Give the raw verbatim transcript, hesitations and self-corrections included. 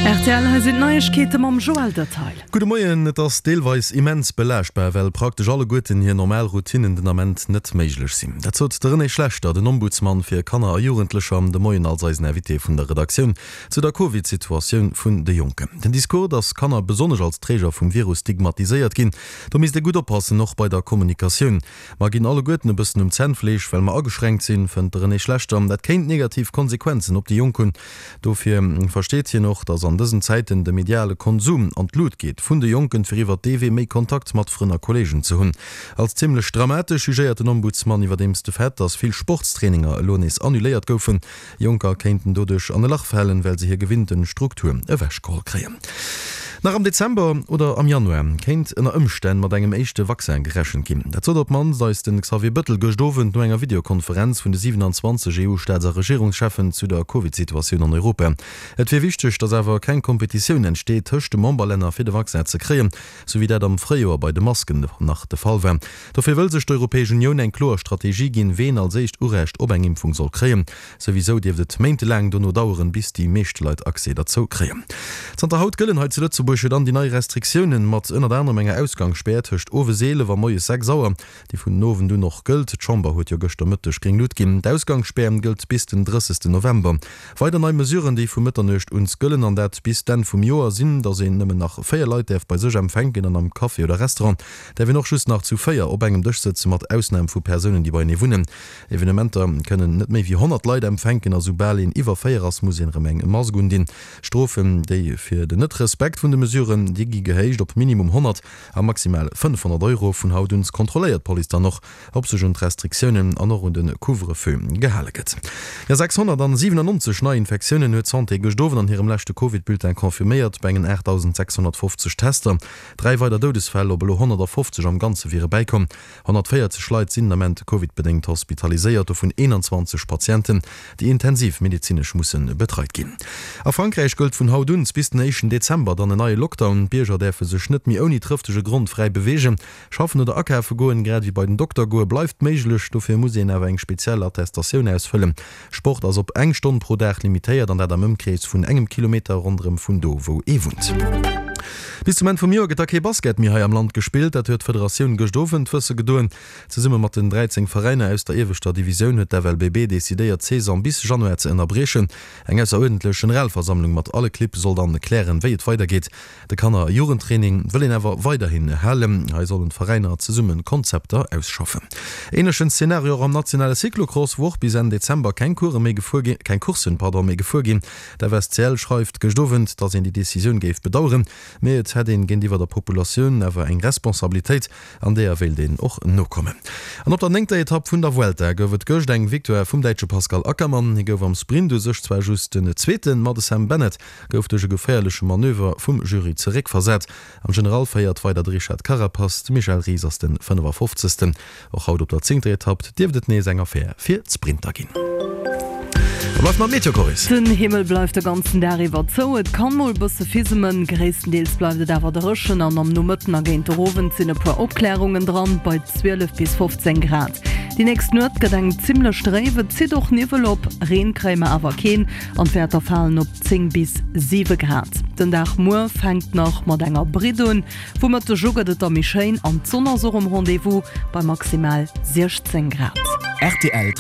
Rtl, hei sinn d'Neiegkeete mam Joël Detail. Gudde Moien, Et ass deelweis immens belaaschtbar, well praktesch alleguerten hir normal Routinnen den Ament net méiglech sinn. Dat sot de René Schlechter, den Ombudsman fir Kanner a Jugendlecher, de Moien als eisen Invité vun der Redaktioun zu der Covid-Situatioun vun de Jonken. Den Discours, datt Kanner besonnesch als Träger vum Virus stigmatiséiert ginn, do misst ee gutt oppassen, och bei der Kommunikatioun. Mer ginn alleguerten e bëssen um Zännfleesch, well mer ageschränkt sinn, fënnt de René Schlechter. Dat kéint negativ Konsequenzen op déi Jonk hunn. Dofir versteet hien och, datt an dësen Zäiten de mediale Konsum an d'Lut geet vun de Jonken, fir iwwer dee Wee méi Kontakt mat Frënn a Kolleegen ze hunn. Als zimmlech dramatesch jugéiert den Ombudsman iwwerdeems de Fait, datt vill Sportstraininger elo nees annuléiert goufen. Jonker kéinten doduerch an e Lach falen, well se hir gewinnten Struktur ewechgeholl kréien. Nach am Dezember oder am Januar kéint ënner Ëmstänn mat engem éischte Vaccin gerechent ginn. Dat sot op d'mannst eis de Xavier Bëttel gëscht Owend no enger Videokonferenz vun de siwenanzwanzeg EU-Staats a Regierungscheffen zu der Covid-Situatioun an Europa. Et wier wichteg, datt awer keng Kompetitioun entsteet tëscht de Memberlänner fir de Vaccin ze kréien, sou wéi dat am Fréijoer bei de Masken nach de Fall war. Dofir wëll sech d'Europäesch Unioun eng kloer Strategie ginn, ween als éischt Urecht op eng Impfung soll kréien. Souwisou dierft et méintelaang dono daueren, bis déi meescht Leit Accès derzou kréien. Zanter haut gëllen hei zu Lëtzebuerg jo dann déi nei Restriktiounen, mat ënnert anerem enger Ausgangsspär tëscht owes eelef a moies sechs Auer, déi vun den Owend un och gëllt. D'Chamber huet jo gëschter Mëtteg gréng Lut ginn. D'Ausgangsspär gëllt bis den drëssegsten November. Weider nei Mesuren, déi vu Mëtternuecht un gëllen, an dat bis d'Enn vum Joer, sinn, datt een nëmmen nach véier Leit däerf bei sech empfänken an am Café oder Restaurant däerf een och just nach zu véier op engem Dësch sëtzen, mat Ausnam vu Persounen, déi beienee wunnen. Evenementer kënnen net méi wéi honnert Leit empfänken a soubal een iwwer véier ass, muss een erëm eng Mask undinn. Strofen, déi fir den Net-Respekt vun de Mesuren, déi gi gehéicht op minimum honnert a maximal fënnfhonnert Euro. Vun haut un kontrolléiert d'Police dann och, ob sech un d'Restriktiounen an och un de Couvre-feu gehale gëtt. Jo, sechshonnertsiwenannonzeg nei Infektiounen huet d'Santé gëscht Owend an hirem leschte Covid-Bulletin confirméiert, bei engen aachtdausendsechshonnertfofzeg Tester. Dräi weider Doudesfäll op elo honnertafofzeg am Ganze wiere bäikomm. Honnertvéierzeg Leit sinn den Ament Covid-bedéngt hospitaliséiert, dovun eenanzwanzeg Patienten, déi intensiv medezinesch musse betreit ginn. A Frankräich gëllt vun haut un bis den éischten Dezember dann en neie Lockdown. D'Bierger däerfe sech net méi ouni trëftege Grond fräi beweegen. Schaffen oder akafe goen, grad ewéi bei den Dokter goe bleift méiglech. Dofir muss een awer eng speziell Attestatioun ausfëllen. Sport ass op eng Stonn pro Dag limitéiert an dat am Ëmkrees vun engem Kilometer ronderëm vun do, wou ee wunnt. Bis zum Enn vum Joer gëtt da kee Basket méi hei am Land gespillt. Dat huet d'Federatioun gëscht Owend wësse gedoen. Zesumme mat den dräizéng Veräiner aus der ieweschter Divisioun huet d'F L B B decidéiert, d'Saison bis Januar ze ënnerbriechen. Eng ausseruerdentlech Generalversammlung mat alle Clibb soll dann klären, wéi et weidergeet. De Kanner a Jugendtraining wëll een awer weiderhin halen. Hei sollen d'Veräiner zesumme Konzepter ausschaffen. Änlechen Szenario och am nationale Cyclocross, wou och bis Enn Dezember keng Course méi gefuer ginn, keng Courssen, pardon, méi gefuer ginn. D'F S C L schreift gëscht Owend, datt een déi Decisioun géif bedaueren, mee et hätt een géintiwwer der Populatioun awer eng Responsabilitéit, an deeër wéilt een och nokommen. An op der néngter Etapp vun der Vuelta gouf et gëscht eng Victoire vum Däitsche Pascal Ackermann. Hie gouf am Sprint u sech zwar just den Zweeten, ma de Sam Bennett gouf duerch e geféierleche Manöver vum Jury zeréckversat. Am General féiert weider de Richard Carapaz, de Michel Ries ass de fënnefafofzegsten. Och haut op der zéngter Etapp dierft et nees eng Affär fir d'Sprinter ginn. Da bleift nach d'Meteo, Coris. Den Himmel bleift de ganzen Dag iwwer zou, et kann mol bësse fismen, gréisstendeels bleift et awer dréchen an am Nomëtten a géint den Owend sinn e puer Opklärungen dran, bei zwielef bis fofzéng Grad. Déi nächst Nuet gëtt eng zimmlech dréif, et zitt och Niwwel op, Reen kréie mer awer keen an d'Wäerter falen op zéng bis siwe Grad. Den Dag muer fänkt nach mat enger Britt un, vu Mëtteg u gëtt et da méi schéin an d'Sonn ass och um Rendez-vous bei maximal siechzéng Grad. Rtl.